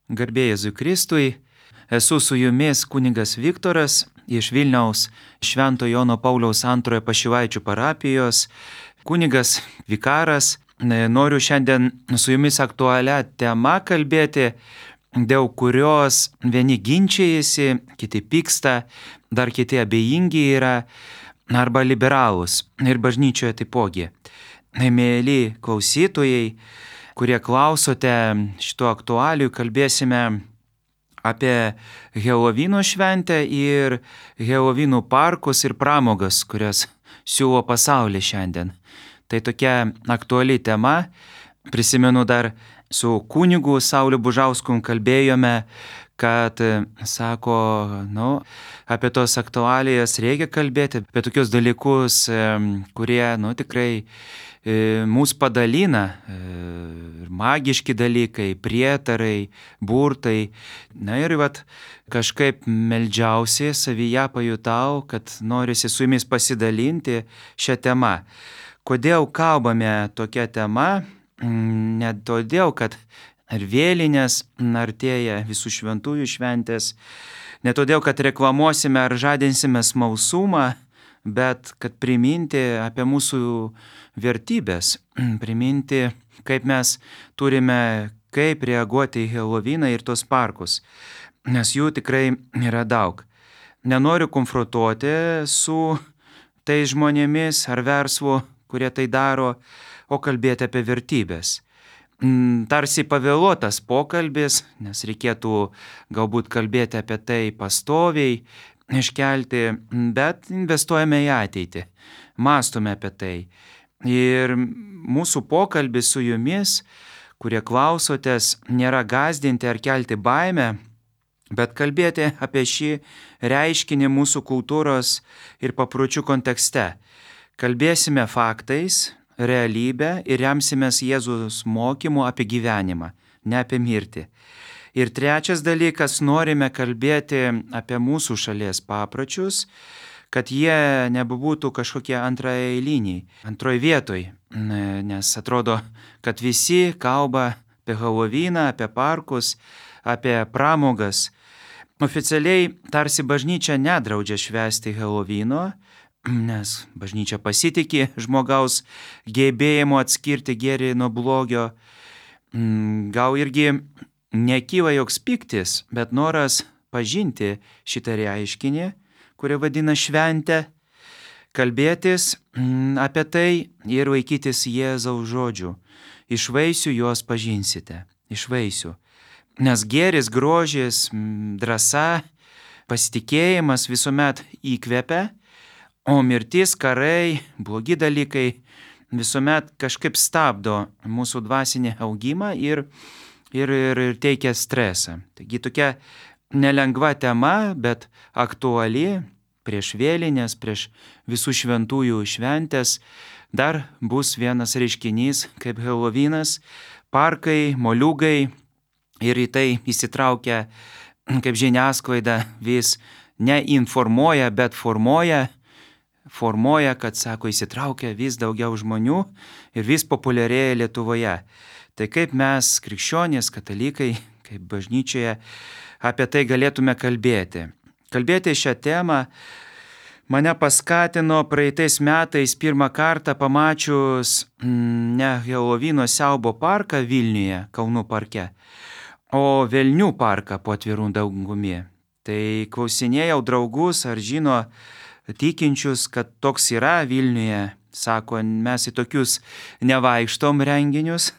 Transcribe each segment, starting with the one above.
Garbė Jėzui Kristui, esu su jumis kunigas Viktoras iš Vilniaus Švento Jono Pauliaus II Pašilaičių parapijos, kunigas vikaras. Noriu šiandien su jumis aktualią temą kalbėti, dėl kurios vieni ginčijasi, kiti pyksta, dar kiti abejingi yra arba liberalūs ir bažnyčioje taipogi. Mėly klausytojai, kurie klausote šito aktualijų, kalbėsime apie Helovino šventę ir Helovino parkus ir pramogas, kurias siūlo pasaulis šiandien. Tai tokia aktuali tema. Prisimenu, dar su kunigu Sauliu Bužausku kalbėjome, kad sako, apie tos aktualijas reikia kalbėti, apie tokius dalykus, kurie tikrai mūsų padalina, magiški dalykai, prietarai, burtai. Ir kažkaip meldžiausi savyje pajutau, kad norisi su jumis pasidalinti šią temą. Kodėl kalbame tokią temą? Ne todėl, kad ar vėlinės artėja visų šventųjų šventės, ne todėl, kad reklamuosime ar žadinsime smalsumą, bet kad priminti apie mūsų vertybės, priminti, kaip mes turime, kaip reaguoti į Heloviną ir tos parkus, nes jų tikrai yra daug. Nenoriu konfrontuoti su tais žmonėmis ar verslu, kurie tai daro, o kalbėti apie vertybės. Tarsi pavėluotas pokalbis, nes reikėtų galbūt kalbėti apie tai pastoviai, iškelti, bet investuojame į ateitį, mąstome apie tai. Ir mūsų pokalbis su jumis, kurie klausotės, nėra gąsdinti ar kelti baimę, bet kalbėti apie šį reiškinį mūsų kultūros ir papročių kontekste. Kalbėsime faktais, realybę ir remsimės Jėzus mokymu apie gyvenimą, ne apie mirtį. Ir trečias dalykas, norime kalbėti apie mūsų šalies papročius, kad jie nebūtų kažkokie antraeiliniai, antroje vietoje, nes atrodo, kad visi kalba apie Heloviną, apie parkus, apie pramogas. Oficialiai tarsi bažnyčia nedraudžia švęsti Helovino, nes bažnyčia pasitiki žmogaus gebėjimu atskirti gėrį nuo blogio. Gal irgi nekyla joks pyktis, bet noras pažinti šitą reiškinį, kurį vadina šventę, kalbėtis apie tai ir laikytis Jėzaus žodžių. Iš vaisių juos pažinsite, iš vaisių. Nes gėris, grožis, drąsa, pasitikėjimas visuomet įkvepia, o mirtis, karai, blogi dalykai visuomet kažkaip stabdo mūsų dvasinį augimą ir teikia stresą. Taigi tokia nelengva tema, bet aktuali prieš vėlinės, prieš visų šventųjų šventės. Dar bus vienas reiškinys kaip Helovinas, parkai, moliūgai ir į tai įsitraukia, kaip žiniasklaida vis neinformuoja, bet formuoja, kad, sako, įsitraukia vis daugiau žmonių ir vis populiarėja Lietuvoje. Tai kaip mes, krikščionys, katalikai, kaip bažnyčioje, apie tai galėtume kalbėti. Kalbėti šią temą mane paskatino praeitais metais pirmą kartą pamačius ne Helovino siaubo parką Vilniuje, Kaunų parke, o Velnių parką po atvirų dangumi. Tai klausinėjau draugus, ar žino tikinčius, kad toks yra Vilniuje. Sako, mes į tokius nevaikštom renginius,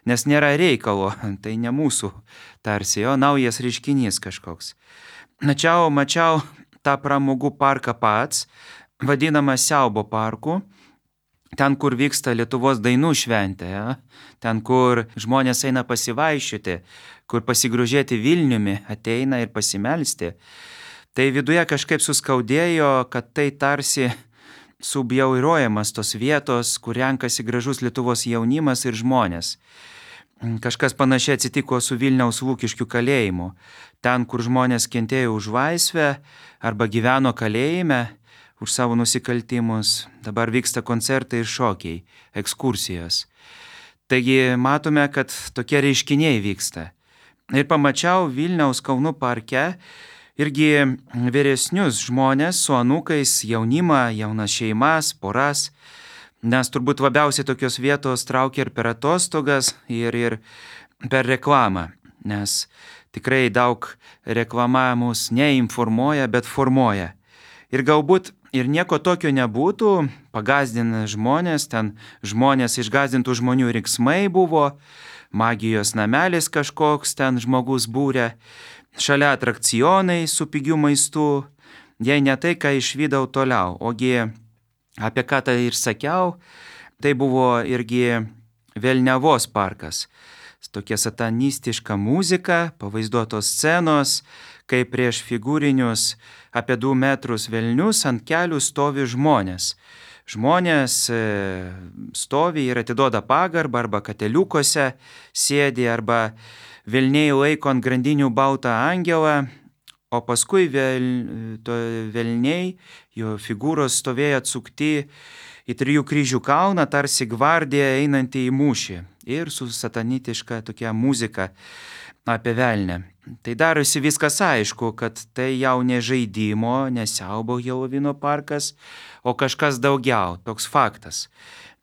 nes nėra reikalo, tai ne mūsų tarsi, o naujas reiškinys kažkoks. Mačiau tą pramogų parką pats, vadinamą siaubo parku, ten, kur vyksta Lietuvos dainų šventė, ten, kur žmonės eina pasivaiščioti, kur pasigrožėti Vilniumi ateina ir pasimelsti. Tai viduje kažkaip suskaudėjo, kad tai tarsi subjaurojamas tos vietos, kur renkasi gražus Lietuvos jaunimas ir žmonės. Kažkas panašiai atsitiko su Vilniaus Lukiškių kalėjimu. Ten, kur žmonės kentėjo už laisvę arba gyveno kalėjime už savo nusikaltimus, dabar vyksta koncertai ir šokiai, ekskursijos. Taigi matome, kad tokie reiškiniai vyksta. ir pamačiau Vilniaus Kalnų parke irgi vyresnius žmonės su anūkais, jaunimą, jaunas šeimas, poras, nes turbūt labiausiai tokios vietos traukia ir per atostogas, ir per reklamą, nes tikrai daug reklama mus neinformuoja, bet formuoja. Ir galbūt ir nieko tokio nebūtų, pagazdina žmonės, ten žmonės išgazdintų žmonių riksmai buvo, magijos namelis kažkoks ten žmogus būrė, šalia atrakcionai su pigiu maistu, jei ne tai, ką išvydau toliau, ogi apie ką tai ir sakiau, tai buvo irgi Velniavos parkas. Tokia satanistiška muzika, pavaizduotos scenos, kai prieš figūrinius apie 2 metrus velnius ant kelių stovi žmonės. Žmonės stovi ir atiduoda pagarbą arba kateliukose sėdi, arba velniai laiko ant grandinių baltą angelą, o paskui velniai, jo figūros stovėjo atsukti į 3 kryžių kalną, tarsi gvardija einanti į mūšį ir su satanitiška tokia muzika apie velnę. Tai darosi viskas aišku, kad tai jau ne žaidimo, ne siaubo Helovino parkas, o kažkas daugiau, toks faktas.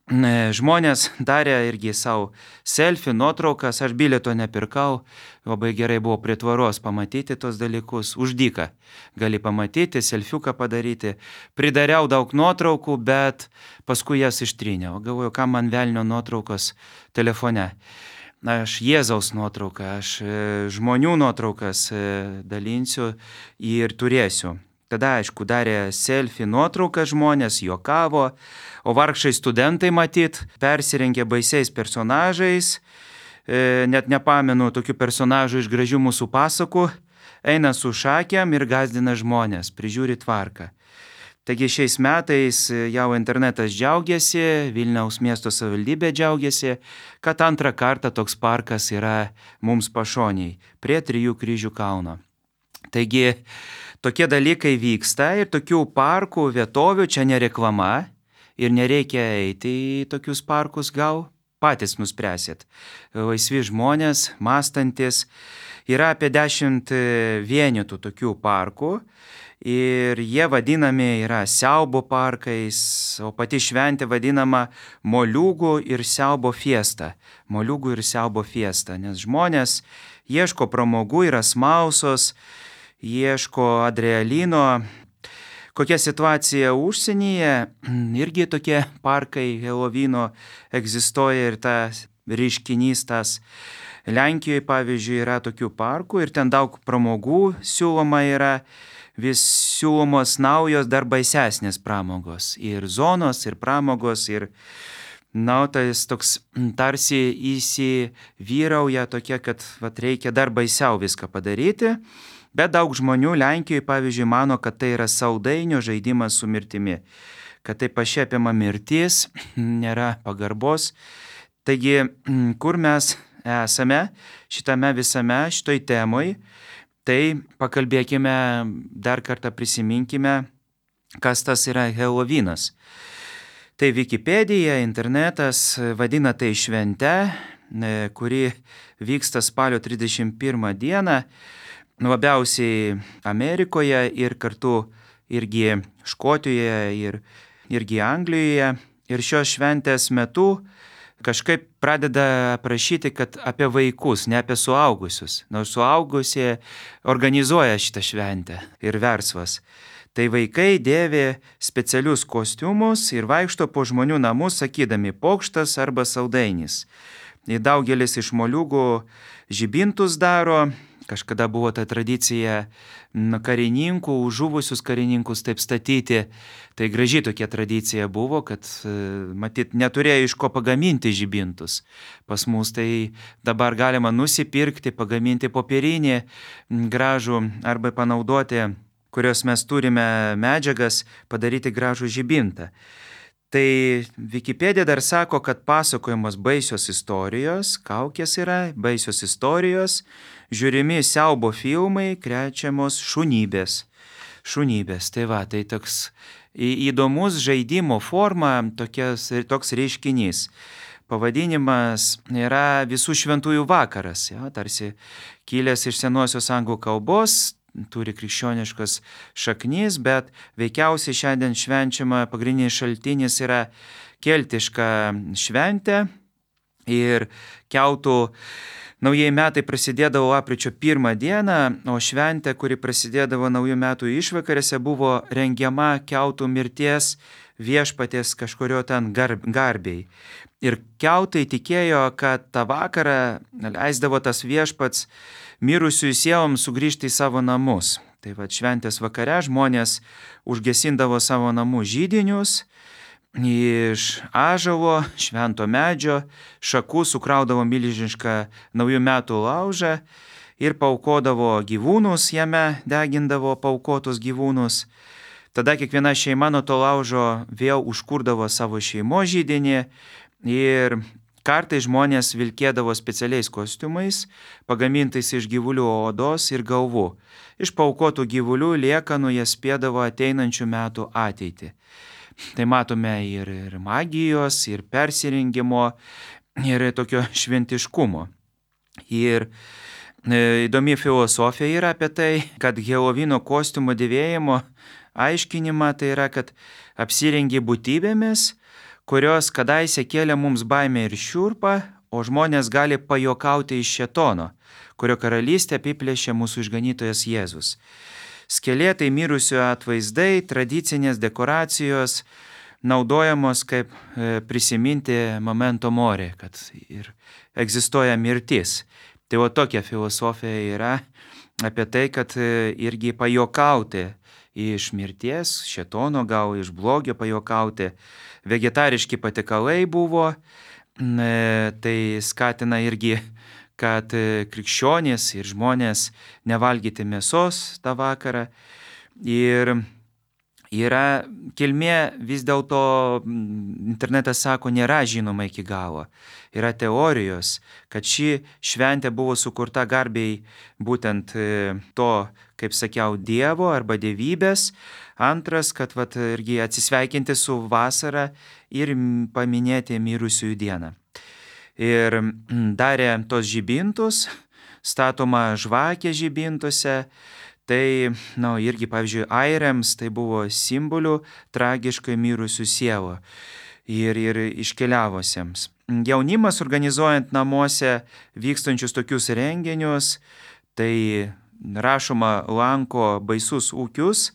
Žmonės darė irgi savo selfie, nuotraukas, aš bilieto nepirkau, labai gerai buvo prie tvaros pamatyti tos dalykus, už dyką gali pamatyti, selfiuką padaryti, pridariau daug nuotraukų, bet paskui jas ištryniau, galvoju, kam man velnio nuotraukos telefone. Aš Jėzaus nuotrauką, aš žmonių nuotraukas dalinsiu ir turėsiu. Tada, aišku, darė selfie nuotrauką žmonės, juokavo, o vargšai studentai matyt persirengė baisiais personažais, net nepamenu tokių personažų iš gražių mūsų pasakų, eina su šakėm ir gazdina žmonės, prižiūri tvarką. Taigi šiais metais jau internetas džiaugiasi, Vilniaus miesto savivaldybė džiaugiasi, kad antrą kartą toks parkas yra mums pašoniai, prie 3 kryžių kalno. Taigi tokie dalykai vyksta ir tokių parkų, vietovių, čia ne reklama ir nereikia eiti į tokius parkus, gal patys nuspręsit. Laisvi žmonės, mąstantis, yra apie 10 vienetų tokių parkų ir jie vadinami yra siaubo parkais, o pati šventė vadinama moliūgų ir siaubo fiesta. Moliūgų ir siaubo fiesta, nes žmonės ieško pramogų, yra smalsos, ieško adrenalino. Kokia situacija užsienyje, irgi tokie parkai Helovino egzistuoja ir tas reiškinys tas. Lenkijoje, pavyzdžiui, yra tokių parkų ir ten daug pramogų siūloma yra, vis siūlomos naujos dar baisesnės pramogos. Ir zonos, ir pramogos, ir tas toks tarsi įsivyrauja tokia, kad reikia dar baisiau viską padaryti. Bet daug žmonių Lenkijoje, pavyzdžiui, mano, kad tai yra saldainio žaidimas su mirtimi, kad tai pašiepiama mirtis, nėra pagarbos. Taigi, kur mes esame šitame visame, šitoj temoj, tai pakalbėkime, dar kartą prisiminkime, kas tas yra Helovinas. Tai Wikipedija, internetas vadina tai švente, kuri vyksta spalio 31 dieną, labiausiai Amerikoje ir kartu irgi Škotijoje ir irgi Anglijoje. Ir šios šventės metu kažkaip pradeda prašyti, kad apie vaikus, ne apie suaugusius. Nors suaugusie organizuoja šitą šventę ir verslas. Tai vaikai dėvi specialius kostiumus ir vaikšto po žmonių namus sakydami pokštas arba saldainis. Ir daugelis iš moliūgų žibintus daro. Kažkada buvo ta tradicija karininkų, žuvusius karininkus taip statyti. Tai graži tokia tradicija buvo, kad matyt neturėjo iš ko pagaminti žibintus. Pas mus tai dabar galima nusipirkti, pagaminti popierinį gražų arba panaudoti, kurios mes turime medžiagas, padaryti gražų žibintą. Tai Wikipedija dar sako, kad pasakojamos baisios istorijos, kaukės yra, baisios istorijos, žiūrimi siaubo filmai, krečiamos šunybės. Šunybės, tai va, tai toks įdomus žaidimo forma, toks reiškinys. pavadinimas yra Visų šventųjų vakaras, tarsi kilęs iš senosios anglų kalbos, turi krikščioniškas šaknis, bet veikiausiai šiandien švenčiama pagrindinis šaltinis yra keltiška šventė ir keltų naujieji metai prasidėdavo lapkričio 1 dieną, o šventė, kuri prasidėdavo naujų metų išvakarėse, buvo rengiama keltų mirties viešpaties kažkurio ten garbei. Ir keltai tikėjo, kad tą vakarą leisdavo tas viešpats mirusiųjų sieloms sugrįžti į savo namus. Tai va šventės vakare žmonės užgesindavo savo namų židinius, iš ąžuolo, švento medžio, šakų sukraudavo milžinišką naujų metų laužą ir paaukodavo gyvūnus, jame degindavo paaukotus gyvūnus. Tada kiekviena šeima nuo to laužo vėl užkurdavo savo šeimos židinį ir kartais žmonės vilkėdavo specialiais kostiumais, pagamintais iš gyvulių odos ir galvų. Iš paaukotų gyvulių liekanų jie spėdavo ateinančių metų ateitį. Tai matome ir magijos, ir persirengimo, ir tokio šventiškumo. Ir įdomi filosofija yra apie tai, kad Helovino kostiumo dėvėjimo aiškinimą tai yra, kad apsirengi būtybėmis, kurios kadaise kėlė mums baimę ir šiurpą, o žmonės gali pajokauti iš šėtono, kurio karalystę apiplėšė mūsų išganytojas Jėzus. Skelėtai mirusių atvaizdai, tradicinės dekoracijos naudojamos kaip prisiminti momento mori, kad ir egzistuoja mirtis. Tai o tokia filosofija yra apie tai, kad irgi pajokauti iš mirties, šėtono gal iš blogio pajokauti. Vegetariški patiekalai buvo, tai skatina irgi, kad krikščionys ir žmonės nevalgyti mėsos tą vakarą. Ir yra kilmė vis dėlto, internetas sako, nėra žinoma iki galo. Yra teorijos, kad ši šventė buvo sukurta garbei būtent to, kaip sakiau, Dievo arba dievybės. Antras, kad irgi atsisveikinti su vasara ir paminėti mirusiųjų dieną. Ir darė tos žibintus, statoma žvakė žibintuose, tai, irgi, pavyzdžiui, airiams tai buvo simbolių tragiškai mirusių sielų ir iškeliavusiems. Jaunimas organizuojant namuose vykstančius tokius renginius, tai rašoma lanko baisus ūkius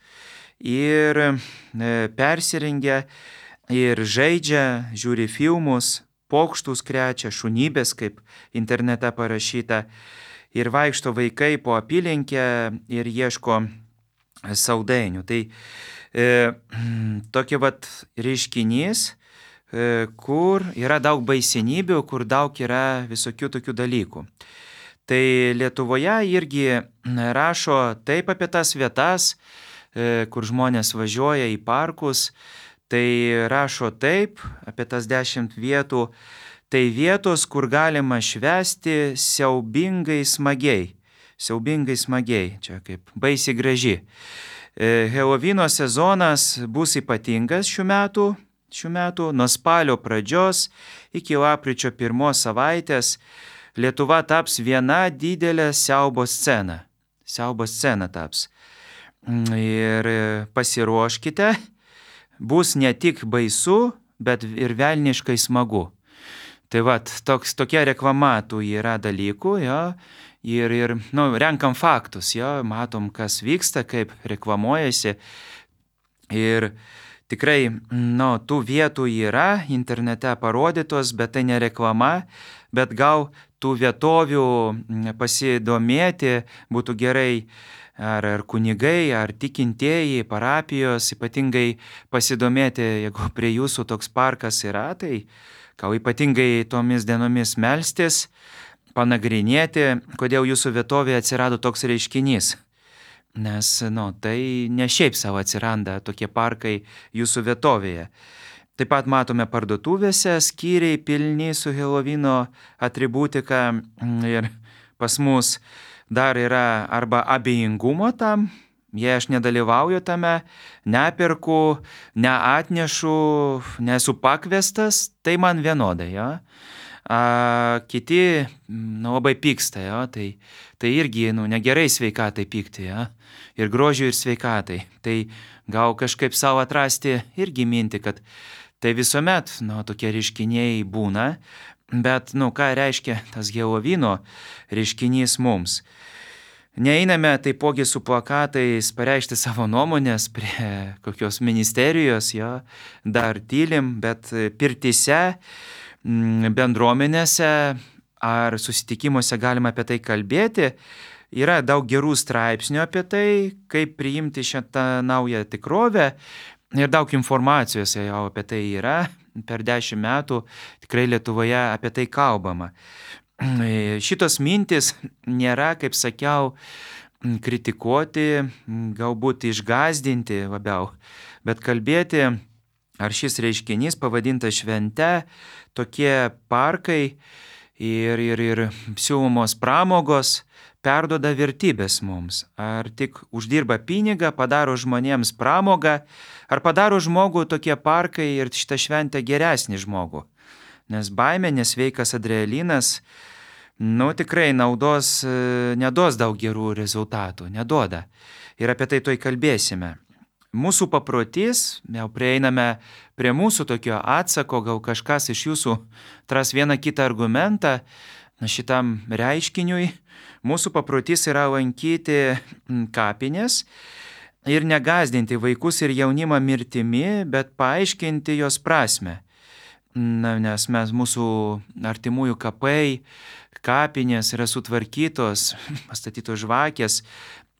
ir persirengia ir žaidžia, žiūri filmus, pokštus krečia, šunybės, kaip internete parašyta, ir vaikšto vaikai po apylinkę ir ieško saldainių. Tai tokia reiškinys, kur yra daug baisenybių, kur daug yra visokių tokių dalykų. Tai Lietuvoje irgi rašo taip apie tas vietas, kur žmonės važiuoja į parkus, tai rašo taip apie tas 10 vietų, tai vietos, kur galima švęsti siaubingai smagiai. Siaubingai smagiai, čia kaip baisiai graži. Helovino sezonas bus ypatingas šių metų, nuo spalio pradžios iki lapkričio 1 savaitės Lietuva taps viena didelė siaubo scena. Siaubo scena taps. Ir pasiruoškite, bus ne tik baisu, bet ir velniškai smagu. Tai tokia reklama tų yra dalykų, ir renkam faktus, matom, kas vyksta, kaip reklamuojasi. Ir tikrai, tų vietų yra internete parodytos, bet tai ne reklama, bet gal tų vietovių pasidomėti būtų gerai ar kunigai, ar tikintieji, parapijos, ypatingai pasidomėti, jeigu prie jūsų toks parkas yra, tai gal ypatingai tomis dienomis melstis, panagrinėti, kodėl jūsų vietovėje atsirado toks reiškinys. Nes, tai ne šiaip savo atsiranda tokie parkai jūsų vietovėje. Taip pat matome parduotuvėse skyriai pilni su Helovino atributika ir pas mus dar yra arba abejingumo tam Jei aš nedalyvauju tame, neperku, neatnešu, nesu pakviestas, tai man vienodai, jo. Kiti labai pyksta, jo, tai irgi negerai sveikatai pykti, jo, ir grožiui, ir sveikatai. Tai gal kažkaip savo atrasti irgi mintį, kad tai visuomet tokie reiškiniai būna, bet ką reiškia tas Helovino reiškinys mums. Neeiname taipogi su plakatais pareikšti savo nuomonės prie kokios ministerijos, jo, dar tylim, bet pirtyse, bendruomenėse ar susitikimuose galima apie tai kalbėti. Yra daug gerų straipsnių apie tai, kaip priimti šitą naują tikrovę ir daug informacijos jau apie tai yra. Per 10 metų tikrai Lietuvoje apie tai kalbama. Šitos mintis nėra, kaip sakiau, kritikuoti, galbūt išgąsdinti labiau, bet kalbėti, ar šis reiškinys pavadintas švente, tokie parkai ir siūlomos pramogos perduoda vertybės mums. Ar tik uždirba pinigą, padaro žmonėms pramogą, ar padaro žmogų tokie parkai ir šitą šventę geresnį žmogų. Nes baimė, nesveikas adrenalinas, tikrai naudos neduos daug gerų rezultatų, neduoda. Ir apie tai toj kalbėsime. Mūsų paprotys, jau prieiname prie mūsų tokio atsako, gal kažkas iš jūsų tras vieną kitą argumentą šitam reiškiniui. Mūsų paprotys yra lankyti kapines ir negąsdinti vaikus ir jaunimą mirtimi, bet paaiškinti jos prasme. Nes mūsų artimųjų kapai, kapinės yra sutvarkytos, pastatytos žvakės,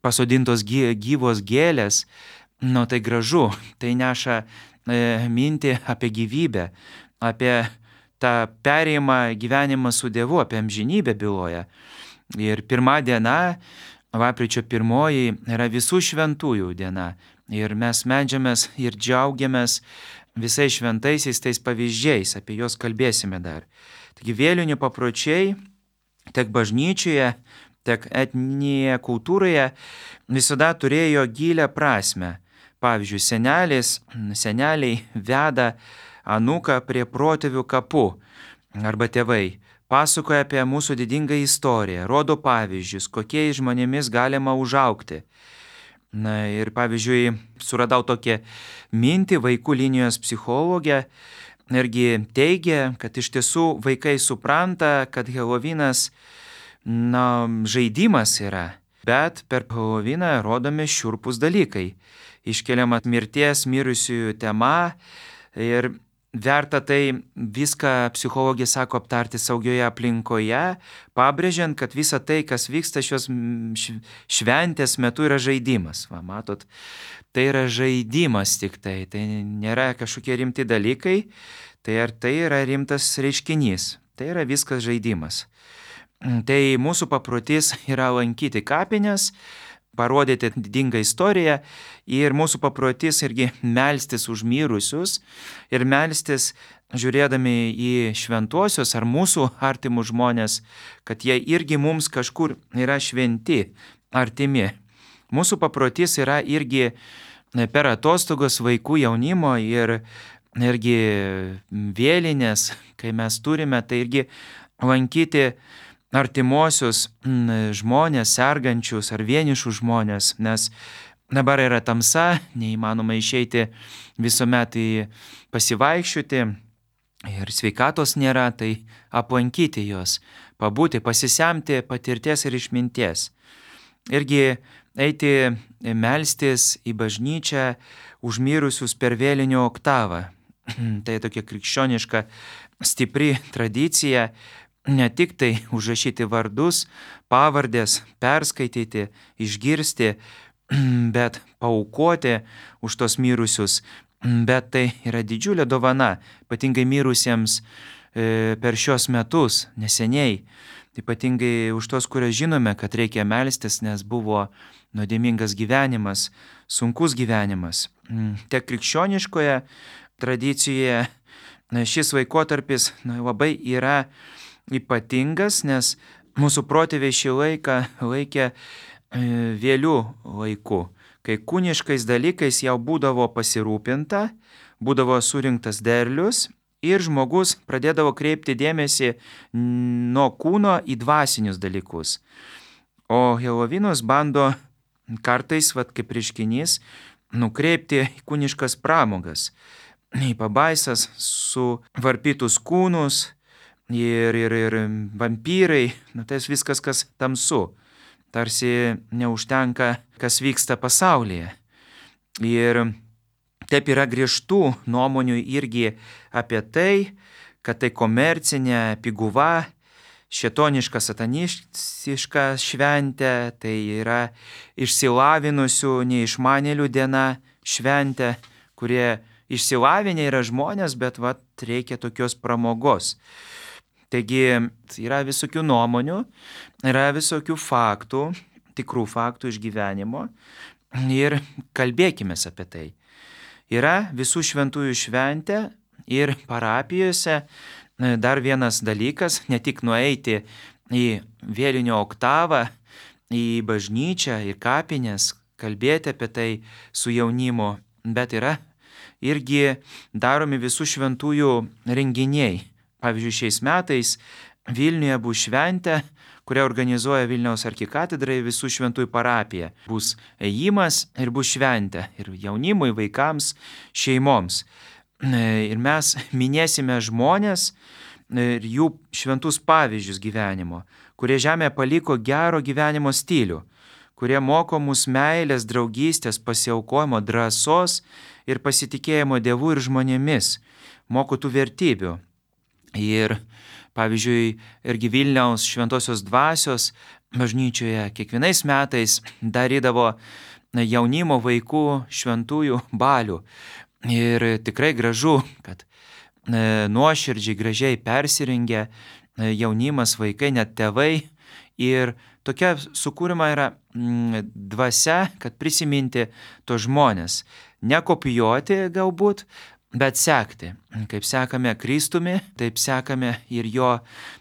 pasodintos gyvos gėlės. Tai gražu, tai neša mintį apie gyvybę, apie tą perėjimą gyvenimą su Dievu, apie amžinybę byloja. Ir pirma diena, lapkričio 1, yra visų šventųjų diena. Ir mes meldžiamės ir džiaugiamės visais šventaisiais tais pavyzdžiais, apie juos kalbėsime dar. Taigi vėlinių papročiai tiek bažnyčioje, tiek etninėje kultūroje visada turėjo gilią prasme. Pavyzdžiui, seneliai veda anūką prie protėvių kapų arba tėvai. Pasakoja apie mūsų didingą istoriją, rodo pavyzdžius, kokiais žmonėmis galima užaugti. Ir pavyzdžiui, suradau tokią mintį vaikų linijos psichologė, irgi teigia, kad iš tiesų vaikai supranta, kad Helovinas žaidimas yra, bet per Heloviną rodomi šiurpūs dalykai. Iškeliama mirties, mirusiųjų tema ir verta tai viską, psichologija sako, aptarti saugioje aplinkoje, pabrėžiant, kad visa tai, kas vyksta šios šventės metu, yra žaidimas. Matot, tai yra žaidimas tik tai nėra kažkokie rimti dalykai, tai yra rimtas reiškinys, tai yra viskas žaidimas. Tai mūsų paprotys yra lankyti kapines, parodyti didingą istoriją ir mūsų paprotys irgi melstis už mirusius ir melstis žiūrėdami į šventuosius ar mūsų artimus žmonės, kad jie irgi mums kažkur yra šventi, artimi. Mūsų paprotys yra irgi per atostogos vaikų jaunimo ir irgi vėlinės, kai mes turime, tai irgi lankyti artimuosius žmonės, sergančius ar vienišus žmonės, nes dabar yra tamsa, neįmanoma išeiti visuomet pasivaikščioti ir sveikatos nėra, tai aplankyti juos, pabūti, pasisemti patirties ir išminties. Irgi eiti melstis į bažnyčią už mirusius per vėlinių oktavą. Tai tokia krikščioniška stipri tradicija. Ne tik tai užrašyti vardus, pavardės, perskaityti, išgirsti, bet paaukoti už tos mirusius. Bet tai yra didžiulė dovana, ypatingai mirusiems per šios metus, neseniai. Ypatingai už tos, kurios žinome, kad reikia melstis, nes buvo nuodėmingas gyvenimas, sunkus gyvenimas. Tiek krikščioniškoje tradicijoje šis laikotarpis labai yra ypatingas, nes mūsų protėviai šį laiką laikė vėlių laiku, kai kūniškais dalykais jau būdavo pasirūpinta, būdavo surinktas derlius ir žmogus pradėdavo kreipti dėmesį nuo kūno į dvasinius dalykus. O Helovinas bando kartais, kaip reiškinys, nukreipti į kūniškas pramogas, į pabaisas, suvarpytus kūnus ir vampyrai, tai viskas, kas tamsu. Tarsi neužtenka, kas vyksta pasaulyje. Ir taip yra griežtų nuomonių irgi apie tai, kad tai komercinė, piguva, šėtoniška, satanistiška šventė, tai yra išsilavinusių, neišmanėlių diena šventė, kurie išsilavinę yra žmonės, bet reikia tokios pramogos. Taigi yra visokių nuomonių, yra visokių faktų, tikrų faktų iš gyvenimo ir kalbėkime apie tai. Yra visų šventųjų šventė ir parapijose dar vienas dalykas, ne tik nueiti į vėlinio oktavą, į bažnyčią, į kapines, kalbėti apie tai su jaunimu, bet yra irgi daromi visų šventųjų renginiai. Pavyzdžiui, šiais metais Vilniuje bus šventė, kurią organizuoja Vilniaus arkikatedra visų šventųjų parapija. Bus ėjimas ir bus šventė ir jaunimui, vaikams, šeimoms. Ir mes minėsime žmonės ir jų šventus pavyzdžius gyvenimo, kurie žemėje paliko gero gyvenimo stilių, kurie moko mus meilės, draugystės, pasiaukojimo, drąsos ir pasitikėjimo Dievu ir žmonėmis, moko tų vertybių. Ir, pavyzdžiui, irgi Vilniaus šventosios dvasios bažnyčioje kiekvienais metais darydavo jaunimo vaikų šventųjų balių. Ir tikrai gražu, kad nuoširdžiai, gražiai persirengė jaunimas, vaikai, net tėvai. Ir tokia sukūrima yra dvasia, kad prisiminti tos žmonės. Nekopijuoti galbūt, bet sekti. Kaip sekame Kristumi, taip sekame ir jo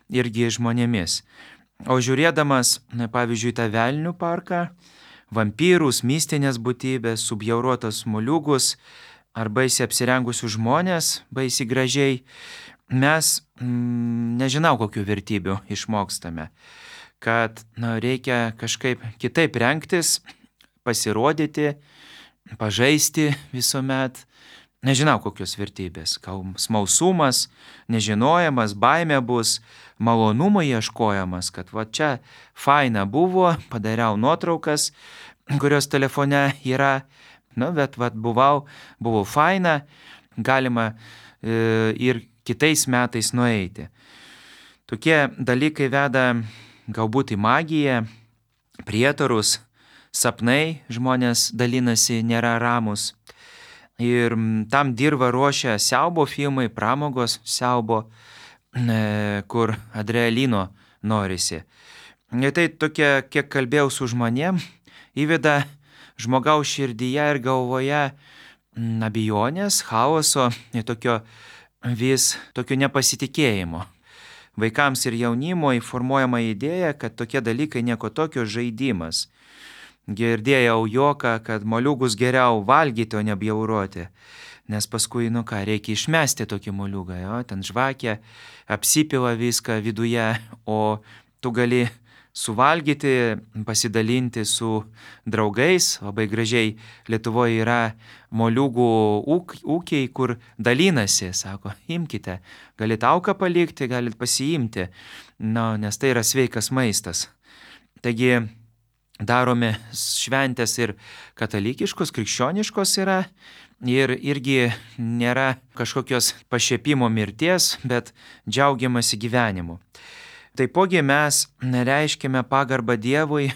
irgi žmonėmis. O žiūrėdamas, pavyzdžiui, tą velnių parką, vampyrus, mistinės būtybės, subjaurotos moliūgus ar baisiai apsirengusius žmonės, baisiai gražiai, mes nežinau kokių vertybių išmokstame. Kad reikia kažkaip kitaip rengtis, pasirodyti, pažaisti visuomet. Nežinau kokios vertybės, gal smalsumas, nežinojimas, baimė bus, malonumo ieškojimas, kad čia faina buvo, padariau nuotraukas, kurios telefone yra, bet buvo faina, galima ir kitais metais nueiti. Tokie dalykai veda galbūt į magiją, prietarus, sapnai žmonės dalinasi, nėra ramus. Ir tam dirba ruošia siaubo filmai, pramogos siaubo, kur adrenalino norisi. Ir tai tokia, kiek kalbėjau su žmonėm, įveda žmogaus širdyje ir galvoje abejonės, chaoso ir tokio nepasitikėjimo. Vaikams ir jaunimo įformuojama idėja, kad tokie dalykai nieko tokio žaidimas. Girdėjau juoką, kad moliūgus geriau valgyti, o ne bjauroti. Nes paskui, reikia išmesti tokį moliūgą, ten žvakė, apsipila viską viduje, o tu gali suvalgyti, pasidalinti su draugais. Labai gražiai Lietuvoje yra moliūgų ūkiai, kur dalinasi, sako, imkite, galite auką palikti, galite pasiimti, nes tai yra sveikas maistas. Taigi, darome šventės ir katalikiškos, krikščioniškos yra ir irgi nėra kažkokios pašiepimo mirties, bet džiaugiamasi gyvenimu. Taipogi mes reiškime pagarbą Dievui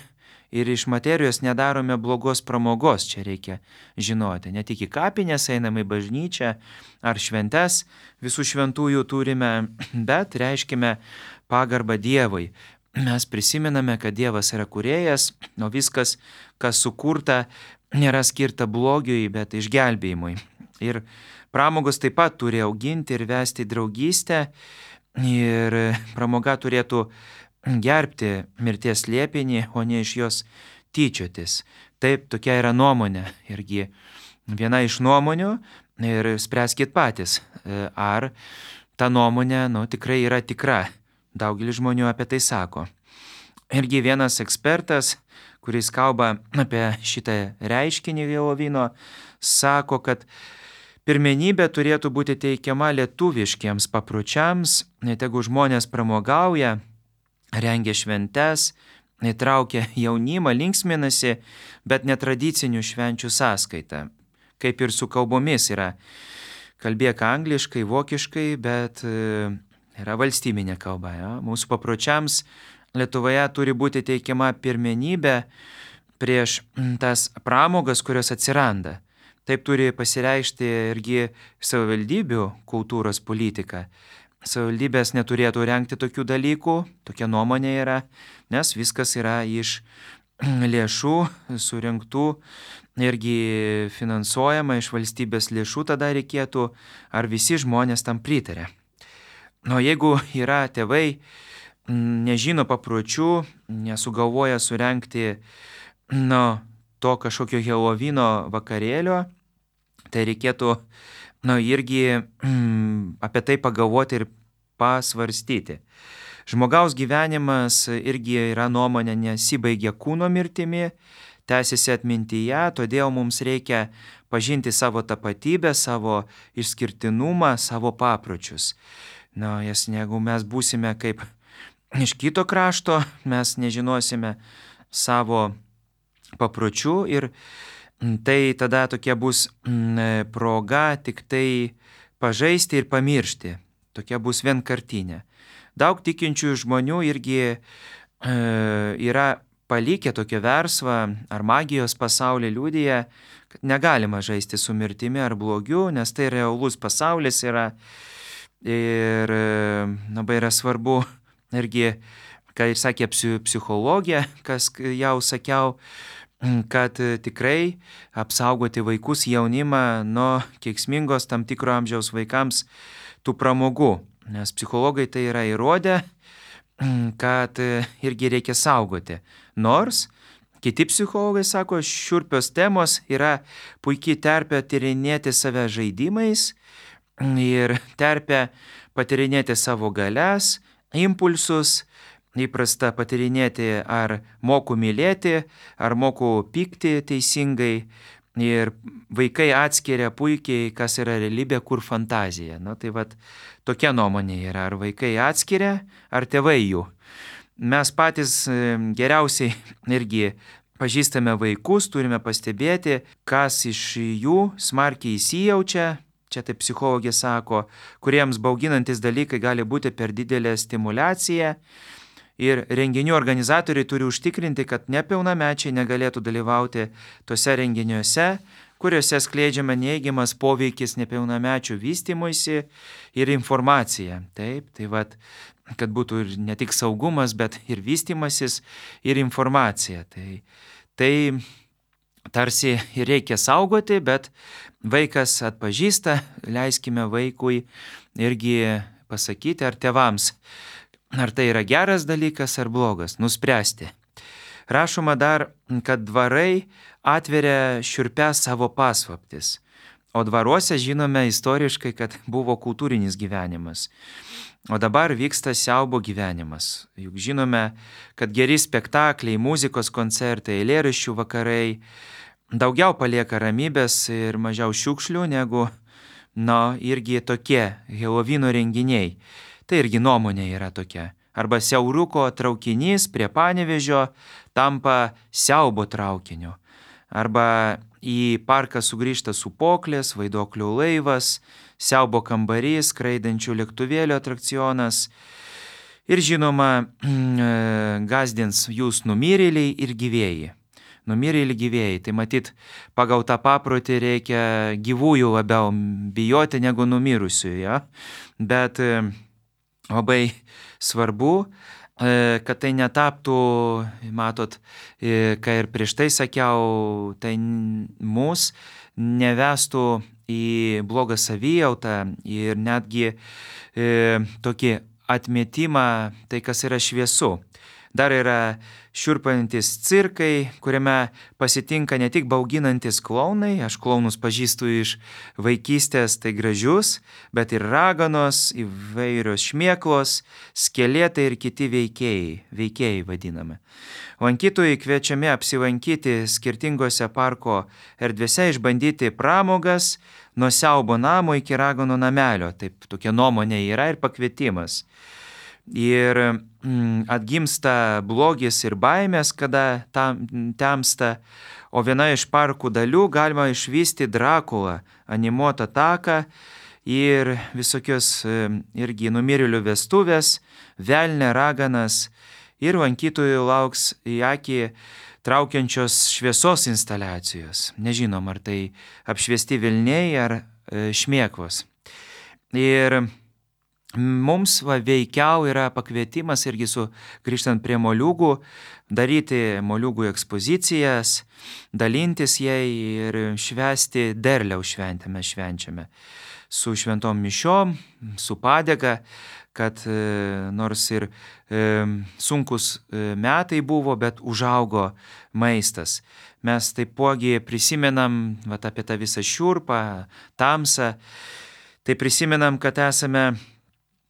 ir iš materijos nedarome blogos pramogos, čia reikia žinoti. Ne tik į kapines einame į bažnyčią ar šventes, visų šventųjų turime, bet reiškime pagarbą Dievui. Mes prisimename, kad Dievas yra kūrėjas, o viskas, kas sukurta, nėra skirta blogiui, bet išgelbėjimui. Ir pramogos taip pat turi auginti ir vesti draugystę, ir pramoga turėtų gerbti mirties slėpinį, o ne iš jos tyčiotis. Taip, tokia yra nuomonė. Irgi viena iš nuomonių ir spręskit patys, ar ta nuomonė tikrai yra tikra. Daugelis žmonių apie tai sako. Irgi vienas ekspertas, kuris kalba apie šitą reiškinį helovyno, sako, kad pirmenybė turėtų būti teikiama lietuviškiems papročiams, tegu žmonės pramogauja, rengia šventes, įtraukia jaunimą, linksminasi, bet netradicinių švenčių sąskaita. Kaip ir su kalbomis yra. Kalbėk angliškai, vokiškai, bet yra valstybinė kalba. Ja? Mūsų papročiams Lietuvoje turi būti teikiama pirmenybė prieš tas pramogas, kurios atsiranda. Taip turi pasireikšti irgi savivaldybių kultūros politika. Savivaldybės neturėtų rengti tokių dalykų, tokia nuomonė yra, nes viskas yra iš lėšų surinktų, irgi finansuojama iš valstybės lėšų, tada reikėtų, ar visi žmonės tam pritarė. Jeigu yra tėvai, nežino papročių, nesugalvoja surengti to kažkokio helovyno vakarėlio, tai reikėtų irgi apie tai pagalvoti ir pasvarstyti. Žmogaus gyvenimas irgi yra nuomonė nesibaigia kūno mirtimi, tęsiasi atmintyje, todėl mums reikia pažinti savo tapatybę, savo išskirtinumą, savo papročius. Jeigu mes būsime kaip iš kito krašto, mes nežinosime savo papročių ir tai tada tokia bus proga tik tai pažaisti ir pamiršti. Tokia bus vienkartinė. Daug tikinčių žmonių irgi yra palikę tokią versvą ar magijos pasaulį liudija, kad negalima žaisti su mirtimi ar blogiu, nes tai realus pasaulis yra ir labai yra svarbu irgi, ką ir sakė psichologija, kas jau sakiau, kad tikrai apsaugoti vaikus, jaunimą nuo kenksmingos tam tikro amžiaus vaikams tų pramogų. Nes psichologai tai yra įrodę, kad irgi reikia saugoti. Nors kiti psichologai sako, šiurpios temos yra puikiai terpė tyrinėti save žaidimais ir terpė patyrinėti savo galias, impulsus, įprasta patyrinėti, ar moku mylėti, ar moku pykti teisingai. Ir vaikai atskiria puikiai, kas yra realybė, kur fantazija. Tai tokia nuomonė yra, ar vaikai atskiria, ar tėvai jų. Mes patys geriausiai irgi pažįstame vaikus, turime pastebėti, kas iš jų smarkiai įsijaučia. Čia taip psichologė sako, kuriems bauginantis dalykai gali būti per didelė stimulacija. Ir renginių organizatoriai turi užtikrinti, kad nepilnamečiai negalėtų dalyvauti tose renginiuose, kuriuose skleidžiama neigiamas poveikis nepilnamečių vystymuisi ir informacija. Taip, kad būtų ir ne tik saugumas, bet ir vystymasis ir informacija. Tai tarsi reikia saugoti, bet vaikas atpažįsta, leiskime vaikui irgi pasakyti, ar tėvams, ar tai yra geras dalykas ar blogas, nuspręsti. Rašoma dar, kad dvarai atveria šiurpias savo paslaptis, o dvaruose žinome istoriškai, kad buvo kultūrinis gyvenimas, o dabar vyksta siaubo gyvenimas. Juk žinome, kad geri spektakliai, muzikos koncertai, eilėraščių vakarai daugiau palieka ramybės ir mažiau šiukšlių negu, irgi tokie helovyno renginiai. Tai irgi nuomonė yra tokia. Arba siauruko traukinys prie Panevėžio tampa siaubo traukiniu. Arba į parką sugrįžta sūpuoklės, vaiduoklių laivas, siaubo kambarys, skraidančių lėktuvėlių atrakcionas. Ir žinoma, gazdins jūs numirėliai ir gyvėjai. Numirėliai gyvėjai. Tai matyt, pagal tą paprotį reikia gyvųjų labiau bijoti negu numirusių. Ja? Bet labai svarbu, kad tai netaptų, matot, ką ir prieš tai sakiau, tai mus nevestų į blogą savijautą ir netgi tokį atmetimą, tai kas yra šviesu. Dar yra šiurpantis cirkai, kuriame pasitinka ne tik bauginantis klounai, aš klounus pažįstu iš vaikystės, tai gražius, bet ir raganos, įvairios šmėklos, skeletai ir kiti veikėjai vadinami. Lankytojai kviečiami apsilankyti skirtingose parko erdvėse, išbandyti pramogas nuo siaubo namo iki raganų namelio. Taip, tokia nuomonė yra ir pakvietimas. Ir atgimsta blogis ir baimės, kada temsta, o viena iš parkų dalių galima išvysti Drakulą, animuotą taką ir visokios irgi numirėlių vestuvės, velnė, raganas ir lankytojų lauks į akį traukiančios šviesos instaliacijos. Nežinom, ar tai apšviesti velniai ar šmėklos. Ir mums veikiau yra pakvietimas irgi grįžtant prie moliūgų, daryti moliūgų ekspozicijas, dalintis jai ir švęsti derliaus šventę mes švenčiame. Su šventom mišiom, su padėka, kad nors ir sunkus metai buvo, bet užaugo maistas. Mes taipogi prisimenam apie tą visą šiurpą, tamsą, tai prisimenam, kad esame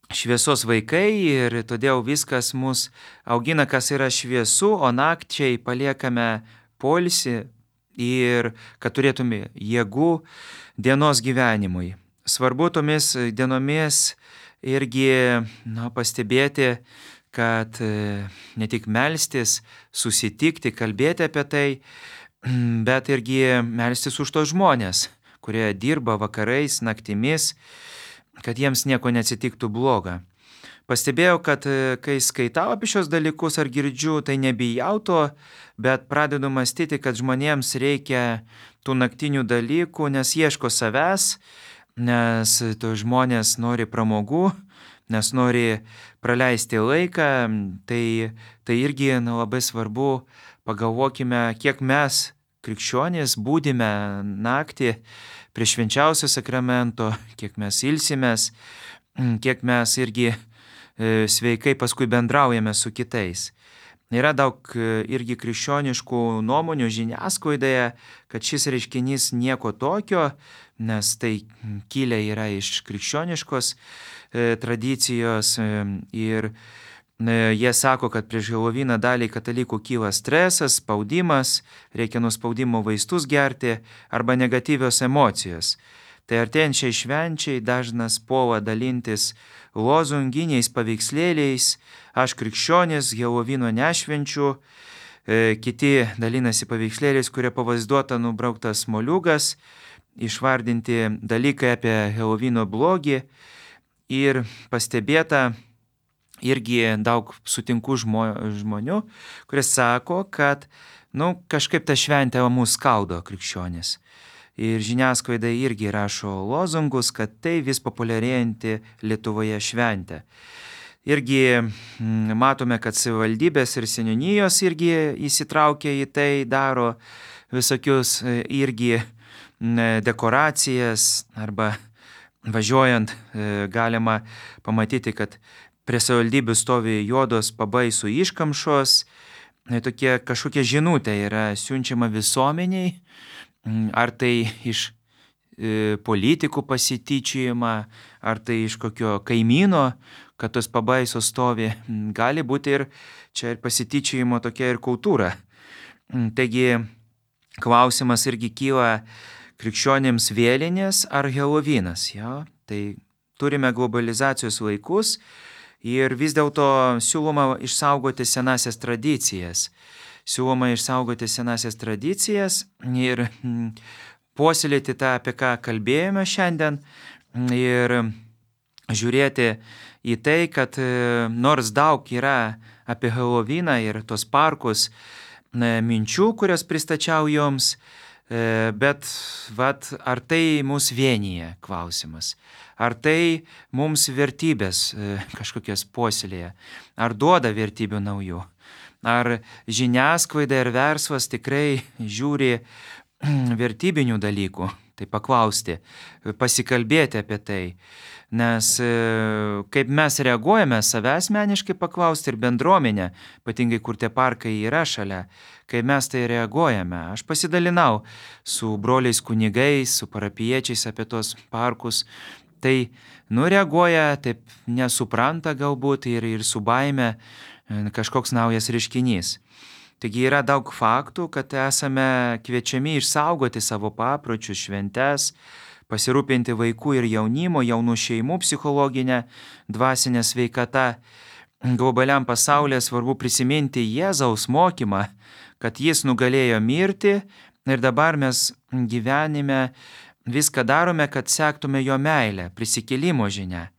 šviesos vaikai ir todėl viskas mus augina, kas yra šviesu, o nakčiai paliekame poilsį ir kad turėtume jėgų dienos gyvenimui. Svarbu tomis dienomis irgi pastebėti, kad ne tik melstis, susitikti, kalbėti apie tai, bet irgi melstis už tos žmonės, kurie dirba vakarais, naktimis, kad jiems nieko neatsitiktų bloga. Pastebėjau, kad kai skaitau apie šios dalykus ar girdžiu, tai nebijau to, bet pradedu mąstyti, kad žmonėms reikia tų naktinių dalykų, nes ieško savęs, nes to žmonės nori pramogų, nes nori praleisti laiką, tai irgi labai svarbu, pagalvokime, kiek mes krikščionys būdime naktį prie švenčiausio sakramento, kiek mes ilsimės, kiek mes irgi sveikai paskui bendraujame su kitais. Yra daug irgi krikščioniškų nuomonių žiniasklaidoje, kad šis reiškinys nieko tokio, nes tai kilę yra iš krikščioniškos tradicijos ir jie sako, kad prieš Helovyną daliai katalikų kyla stresas, spaudimas, reikia nuo spaudimo vaistus gerti arba negatyvios emocijos. Tai artėjančiai švenčiai dažnas puola dalintis lozunginiais paveikslėliais, aš krikščionis, Helovyno nešvenčiu, kiti dalinasi paveikslėliais, kurie pavaizduota nubrauktas moliūgas, išvardinti dalykai apie Helovyno blogį ir pastebėta, irgi daug sutinku žmonių, kurie sako, kad kažkaip ta šventė mus skaudo krikščionis. Ir žiniasklaida irgi rašo lozungus, kad tai vis populiarėjanti Lietuvoje šventė. Irgi matome, kad savivaldybės ir seniūnijos irgi įsitraukia į tai, daro visokius irgi dekoracijas arba važiuojant galima pamatyti, kad prie savivaldybių stovi juodos pabaisų iškamšos, tokie kažkokia žinutė yra siunčiama visuomeniai, ar tai iš politikų pasityčiojimą, ar tai iš kokio kaimyno, kad tos pabaisos stovi, gali būti ir čia ir pasityčiojimo tokia ir kultūra. Taigi klausimas irgi kyla krikščionėms vėlinės ar Helovynas. Tai turime globalizacijos laikus, ir vis dėlto siūloma išsaugoti senasias tradicijas. Ir puoselėti tą, apie ką kalbėjome šiandien, ir žiūrėti į tai, kad nors daug yra apie Helovyną ir tos parkus minčių, kurias pristačiau jums, bet ar tai mus vienyje klausimas? Ar tai mums vertybės kažkokias puoselėja? Ar duoda vertybių naujų? Ar žiniasklaida ir verslas tikrai žiūri vertybinių dalykų, tai paklausti, pasikalbėti apie tai. Nes kaip mes reaguojame, save asmeniškai paklausti ir bendruomenę, ypatingai kur tie parkai yra šalia, kai mes tai reaguojame. Aš pasidalinau su broliais kunigais, su parapiečiais apie tos parkus. Tai reaguoja, taip nesupranta galbūt ir su baime kažkoks naujas reiškinys. Taigi yra daug faktų, kad esame kviečiami išsaugoti savo papročius, šventes, pasirūpinti vaikų ir jaunimo, jaunų šeimų psichologinę, dvasinę sveikatą. Globaliam pasaulyje svarbu prisiminti Jėzaus mokymą, kad jis nugalėjo mirtį ir dabar mes gyvenime viską darome, kad sektume jo meilę, prisikėlimo žinia,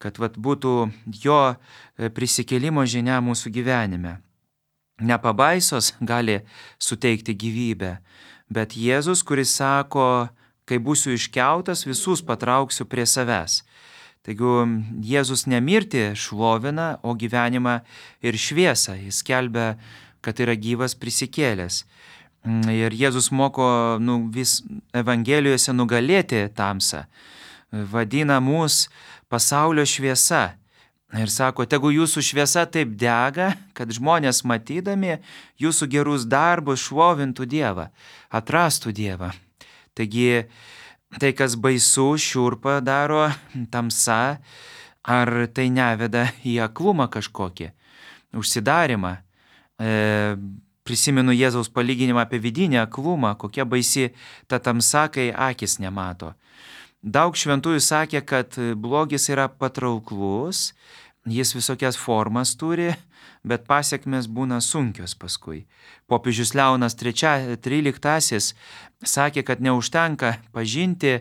kad būtų jo prisikėlimo žinia mūsų gyvenime. Ne pabaisos gali suteikti gyvybę, bet Jėzus, kuris sako, kai būsiu iškeltas, visus patrauksiu prie savęs. Taigi Jėzus ne mirtį šlovina, o gyvenimą ir šviesą. Jis skelbia, kad yra gyvas prisikėlęs. Ir Jėzus moko vis Evangelijose nugalėti tamsą. Vadina mus pasaulio šviesa. Ir sako, tegu jūsų šviesa taip dega, kad žmonės matydami jūsų gerus darbus šlovintų Dievą, atrastų Dievą. Taigi, tai, kas baisu, šiurpą daro, tamsa, ar tai neveda į aklumą kažkokį, užsidarimą. Prisimenu Jėzaus palyginimą apie vidinį aklumą, kokia baisi ta tamsa, kai akis nemato. Daug šventųjų sakė, kad blogis yra patrauklus, jis visokias formas turi, bet pasiekmes būna sunkios paskui. Popiežius Leonas XIII sakė, kad neužtenka pažinti,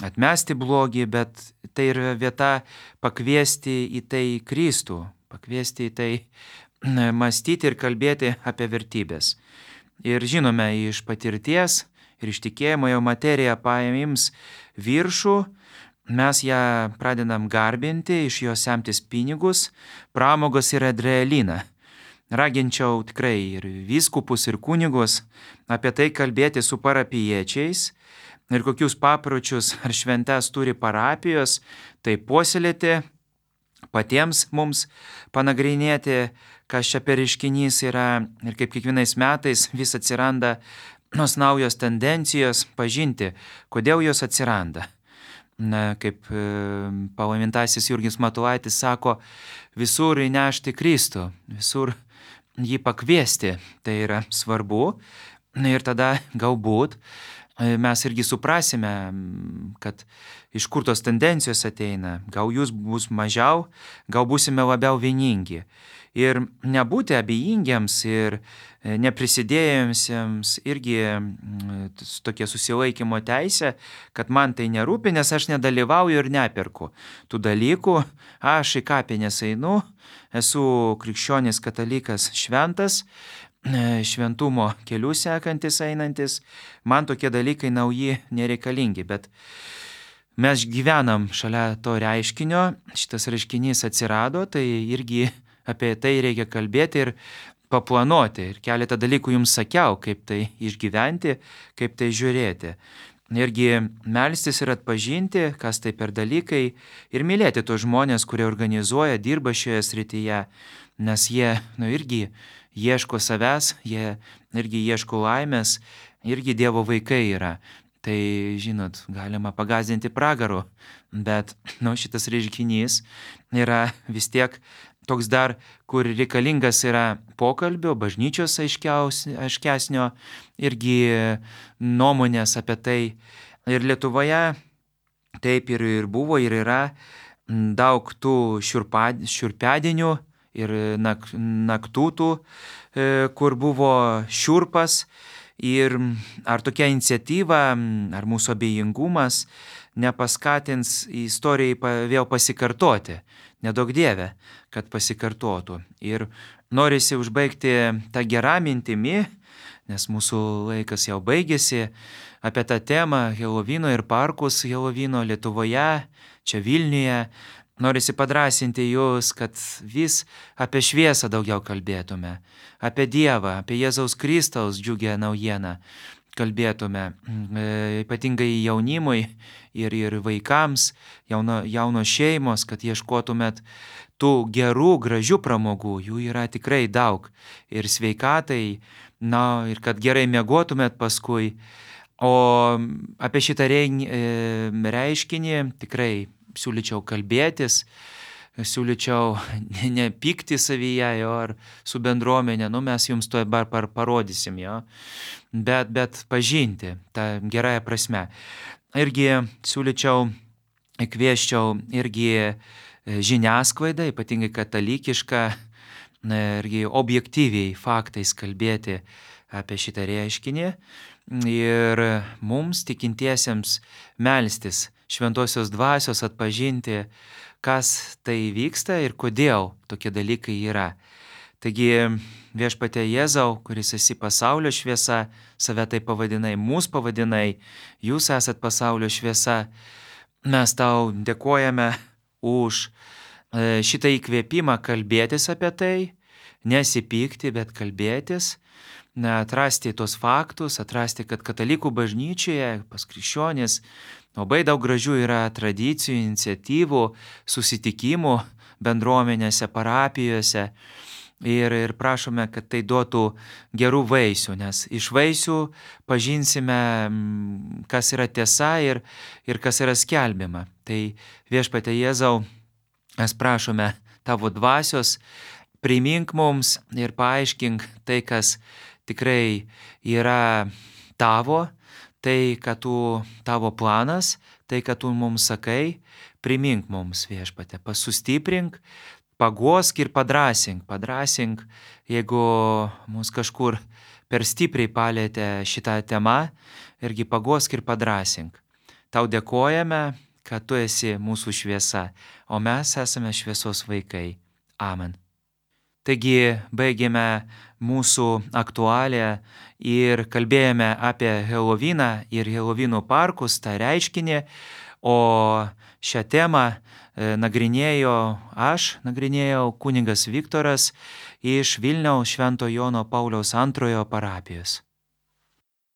atmesti blogį, bet tai yra vieta pakviesti į tai Kristų, pakviesti į tai mąstyti ir kalbėti apie vertybės. Ir žinome iš patirties ir iš tikėjimo jau materija paims viršų, mes ją pradedam garbinti, iš jos semtis pinigus, pramogos ir adrenaliną. Raginčiau tikrai ir vyskupus, ir kunigus apie tai kalbėti su parapiečiais ir kokius papročius ar šventes turi parapijos, tai puoselėti, patiems mums panagrinėti, kas čia per reiškinys yra ir kaip kiekvienais metais vis atsiranda naujos tendencijos, pažinti, kodėl jos atsiranda. Kaip palaimintasis Jurgis Matulaitis sako, visur įnešti Kristų, visur jį pakviesti, tai yra svarbu. Ir tada galbūt mes irgi suprasime, kad iš kur tos tendencijos ateina. Gal jūs bus mažiau, gal būsime labiau vieningi. Ir nebūti abejingiams ir neprisidėjusiems irgi tokia susilaikymo teisė, kad man tai nerūpi, nes aš nedalyvauju ir neperku tų dalykų. Aš į kapines einu, esu krikščionis katalikas šventas, šventumo kelių sekantis einantis, man tokie dalykai nauji nereikalingi, bet mes gyvenam šalia to reiškinio, šitas reiškinys atsirado, tai irgi apie tai reikia kalbėti ir paplanuoti. Ir keletą dalykų jums sakiau, kaip tai išgyventi, kaip tai žiūrėti. Irgi melstis ir atpažinti, kas tai per dalykai ir mylėti tos žmonės, kurie organizuoja, dirba šioje srityje, nes jie irgi ieško savęs, jie irgi ieško laimės, irgi Dievo vaikai yra. Tai, žinot, galima pagąsdinti pragaru, bet šitas reiškinys yra vis tiek toks dar, kur reikalingas yra pokalbio, bažnyčios aiškesnio, irgi nuomonės apie tai. Ir Lietuvoje taip ir buvo, ir yra daug tų šiurpedienių ir naktų tų, kur buvo šiurpas. Ir ar tokia iniciatyva, ar mūsų abejingumas nepaskatins istorijai vėl pasikartoti. Nedaug Dieve, kad pasikartotų. Ir norisi užbaigti tą gerą mintimi, nes mūsų laikas jau baigėsi, apie tą temą Helovino ir parkus Helovino Lietuvoje, čia Vilniuje. Norisi padrąsinti jūs, kad vis apie šviesą daugiau kalbėtume, apie Dievą, apie Jėzaus Kristaus džiugią naujieną. kalbėtume, ypatingai jaunimui ir vaikams, jaunos šeimos, kad ieškotumėt tų gerų, gražių pramogų, jų yra tikrai daug. Ir sveikatai, ir kad gerai miegotumėt paskui. O apie šitą reiškinį tikrai siūlyčiau kalbėtis, siūlyčiau nepykti savyje ar su bendruomenė, mes jums to parodysim, bet pažinti tą gerąją prasme. Irgi siūlyčiau, kvieščiau irgi žiniasklaidą, ypatingai katalikišką, irgi objektyviai faktais kalbėti apie šitą reiškinį ir mums tikintiesiems melstis šventosios dvasios atpažinti, kas tai vyksta ir kodėl tokie dalykai yra. Taigi Viešpatie Jėzau, kuris esi pasaulio šviesa, save tai pavadinai, mūsų pavadinai, jūs esat pasaulio šviesa, mes tau dėkojame už šitą įkvėpimą kalbėtis apie tai, nesipykti, bet kalbėtis, atrasti tos faktus, atrasti, kad katalikų bažnyčioje, pas krikščionis, labai daug gražių yra tradicijų, iniciatyvų, susitikimų bendruomenėse, parapijose ir prašome, kad tai duotų gerų vaisių, nes iš vaisių pažinsime, kas yra tiesa ir kas yra skelbiama. Tai Viešpatie Jėzau, mes prašome tavo dvasios, primink mums ir paaiškink tai, kas tikrai yra tavo, tai, kad tavo planas, tai, kad tu mums sakai, primink mums, Viešpatie, sustiprink, paguosk ir padrasink, jeigu mus kažkur per stipriai palėtė šitą temą, irgi paguosk ir padrasink. Tau dėkojame, kad tu esi mūsų šviesa, o mes esame šviesos vaikai. Amen. Taigi baigėme mūsų aktualią ir kalbėjome apie Helovyną ir Helovynų parkus, tą reiškinį, o šią temą nagrinėjau kunigas Viktoras iš Vilniaus Švento Jono Pauliaus II parapijos.